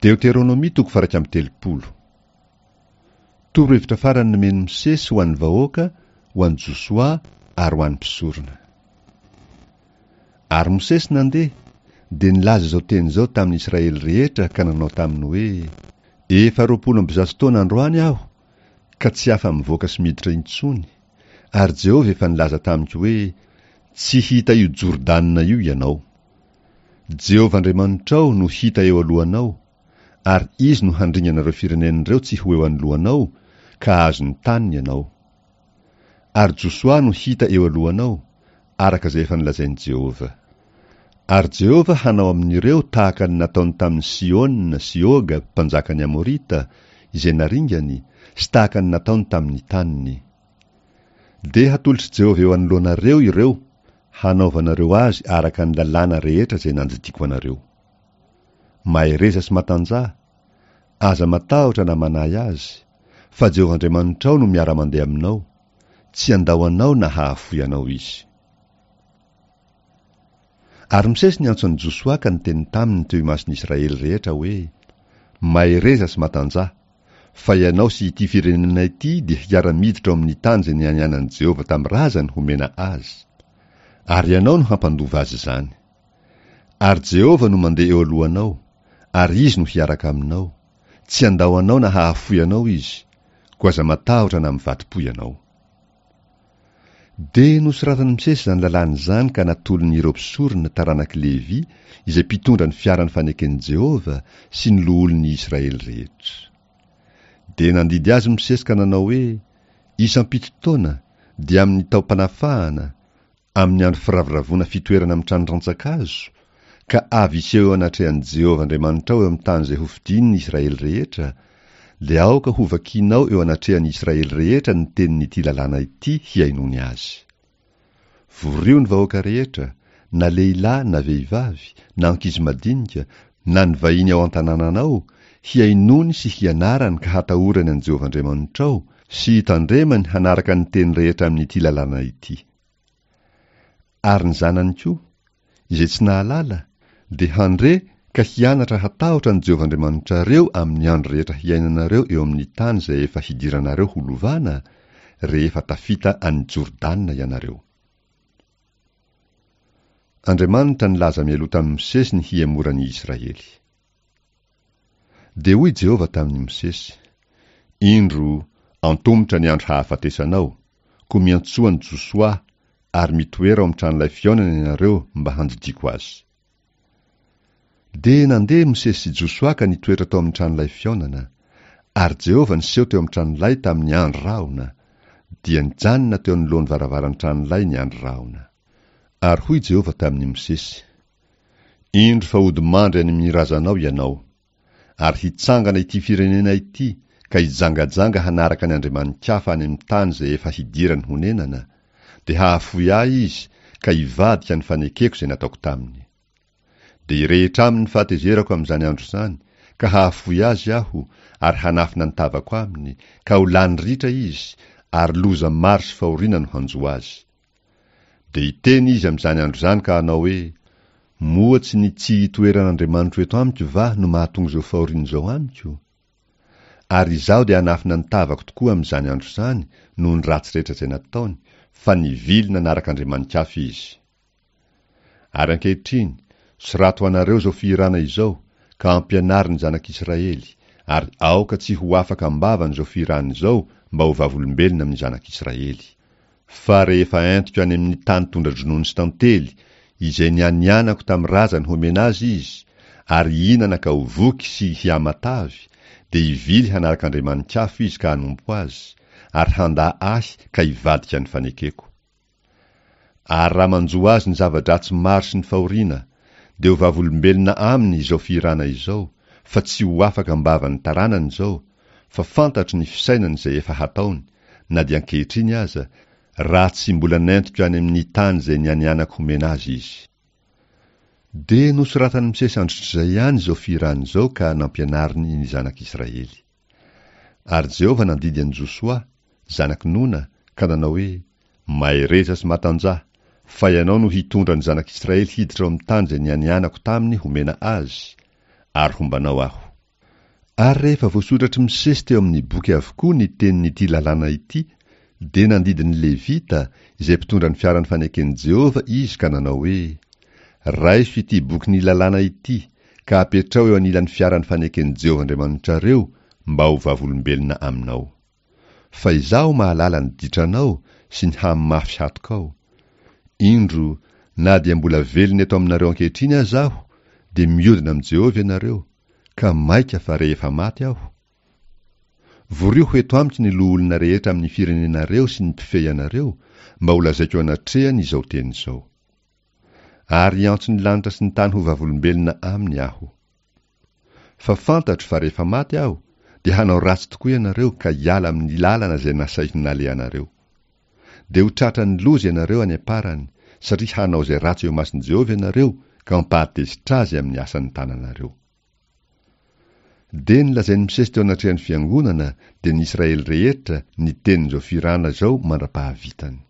Deoteronomia toko faha-31. Torohevitra farany nomen'i Mosesy ho an'ny vahoaka, ho an'i Josoa ary ho an'ny mpisorona. Ary Mosesy nandeha, dia nilaza izao teny izao tamin'ny Israely rehetra ka nanao taminy hoe, Efa 120 taona androany aho, ka tsy afa-mivoaka sy miditra intsony, ary Jehovah efa nilaza tamiko hoe, Tsy hita io Jordana io ianao. Jehovah Andriamanitrao no hita eo alohanao, ary Izy no handringana ireo firenena ireo tsy ho eo anoloanao, ka hahazo ny taniny ianao. Ary Josoa no hita eo alohanao, araka izay efa nolazain'i Jehovah. Ary Jehovah hanao amin'ireo tahaka ny nataony tamin'i Sihona sy Oga mpanjakan'ny Amorita, izay naringany, sy tahaka ny nataony tamin'ny taniny. Dia hatolotr'i Jehovah eo anoloanareo ireo, hanaovanareo azy araka ny lalàna rehetra izay nandidiako anareo. Mahereza sy matanjaha, aza matahotra na manahy azy, fa Jehovah Andriamanitrao no miara-mandeha aminao, tsy handao anao na hahafoy anao Izy. Ary Mosesy niantso an'i Josoa ka niteny taminy teo imason'ny Israely rehetra hoe, Mahereza sy matanjaha, fa ianao sy ity firenena ity dia hiara-miditra ao amin'ny tany izay nianianan'i Jehovah tamin'ny razany homena azy, ary ianao no hampandova azy izany. Ary Jehovah no mandeha eo alohanao, ary Izy no hiaraka aminao, tsy handao anao na hahafoy anao Izy, koa aza matahotra na mivadi-po ianao. Dia nosoratan'i Mosesy izany lalàna izany ka natolony ireo mpisorona taranak'i Levy izay mpitondra ny fiaran'ny faneken'i Jehovah sy ny loholon'ny Israely rehetra. Dia nandidy azy Mosesy ka nanao hoe, Isam-pito taona, dia amin'ny taom-panafahana, Amin'ny andro firavoravoana fitoerana amin'ny trano rantsan-kazo, ka avy hiseho eo anatrehan'i Jehovah Andriamanitrao eo amin'ny tany izay hofidiny ny Israely rehetra, dia aoka hovakinao eo anatrehan'ny Israely rehetra ny tenin'ity lalàna ity hihainoany azy. Vorio ny vahoaka rehetra, na lehilahy na vehivavy, na ankizy madinika, na ny vahiny ao an-tanànanao, hihainoany sy hianarany ka hatahorany an'i Jehovah Andriamanitrao, sy hitandremany hanaraka ny teny rehetra amin'ity lalàna ity. Ary ny zanany koa, izay tsy nahalala, dia handre ka hianatra hatahotra an'i Jehovah Andriamanitrareo amin'ny andro rehetra hiainanareo eo amin'ny tany izay efa hidiranareo ho lovana, rehefa tafita an'i Jordana ianareo. Andriamanitra nilaza mialoha tamin'i Mosesy ny hihemoran'ny Israely. Dia hoy Jehovah tamin'i Mosesy, Indro, antomotra ny andro hahafatesanao, koa miantsoa an'i Josoa, ary mitoera ao amin'ny tranolay fihaonana ianareo mba handidiako azy. Dia nandeha Mosesy sy Josoa ka nitoetra tao amin'ny tranolay fihaonana, ary Jehovah niseho teo amin'ny tranolay tamin'ny andry rahona, dia nijanona teo anoloan'ny varavaran'ny tranolay ny andry rahona. Ary hoy Jehovah tamin'i Mosesy, Indro fa hody mandry any amin'ny razanao ianao, ary hitsangana ity firenena ity ka hijangajanga hanaraka ny andriamani-kafa any amin'ny tany izay efa hidirany honenana, dia hahafoy ahy izy ka hivadika ny fanekeko izay nataoko taminy. Dia hirehitra aminy ny fahatezerako amin'izany andro izany, ka hahafoy azy aho ary hanafina ny tavako aminy, ka ho lany ritra izy, ary loza maro sy fahoriana no hanjo azy. Dia hiteny izy amin'izany andro izany ka hanao hoe, Moa tsy ny tsy hitoeran'Andriamanitro eto amiko va no mahatonga izao fahoriana izao amiko? Ary izaho dia hanafina ny tavako tokoa amin'izany andro izany noho ny ratsy rehetra izay nataony, fa nivily nanaraka andriamani-kafa izy. Ary ankehitriny, sorato ho anareo izao fihirana izao, ka ampianaro ny zanak'Israely, ary aoka tsy ho afaka am-bavany izao fihirana izao mba ho vavolombelona amin'ny zanak'Israely. Fa rehefa entiko any amin'ny tany tondra-dronono sy tantely, izay nianianako tamin'ny razany homena azy izy, ary hihinana ka ho voky sy hihamatavy, dia hivily hanaraka andriamani-kafa izy ka hanompo azy, ary handà ahy ka hivadika ny fanekeko. Ary raha manjo azy ny zava-dratsy maro sy ny fahoriana, dia ho vavolombelona aminy izao fihirana izao, fa tsy ho afaka am-bavan'ny taranany izao, fa fantatro ny fisainany izay efa hataony, na dia ankehitriny aza, raha tsy mbola nentiko any amin'ny tany izay nianianako homena azy izy. Dia nosoratan'i Mosesy androtr'izay ihany izao fihirana izao ka nampianariny ny zanak'Israely. Ary Jehovah nandidy an'i Josoa, zanak'i Nona, ka nanao hoe, Mahereza sy matanjaha, fa ianao no hitondra ny zanak'Israely hiditra ao amin'ny tany izay nianianako taminy homena azy, ary homba anao Aho. Ary rehefa voasoratr'i Mosesy teo amin'ny boky avokoa ny tenin'ity lalàna ity, dia nandidy ny Levita, izay mpitondra ny fiaran'ny faneken'i Jehovah, izy ka nanao hoe, Raiso ity bokin'ny lalàna ity, ka apetraho eo anilan'ny fiaran'ny faneken'i Jehovah Andriamanitrareo, mba ho vavolombelona aminao. Fa izaho mahalala ny ditranao sy ny hamafy hatokao. Indro, na dia mbola velona eto aminareo ankehitriny aza aho, dia miodina amin'i Jehovah ianareo, ka mainka fa rehefa maty aho? Vorio ho eto amiko ny loholona rehetra amin'ny firenenareo sy ny mpifehy anareo, mba holazaiko eo anatrehany izao teny izao. Ary hiantso ny lanitra sy ny tany ho vavolombelona aminy aho. Fa fantatro fa rehefa maty aho, dia hanao ratsy tokoa ianareo ka hiala amin'ny lalana izay nasaiko nalehanareo. Dia ho tratran'ny loza ianareo any am-parany, satria hanao izay ratsy eo imason'i Jehovah ianareo ka hampahatezitra azy amin'ny asan'ny tananareo. Dia nolazain'i Mosesy teo anatrehan'ny fiangonana, dia ny Israely rehetra, ny tenin'izao fihirana izao mandra-pahavitany.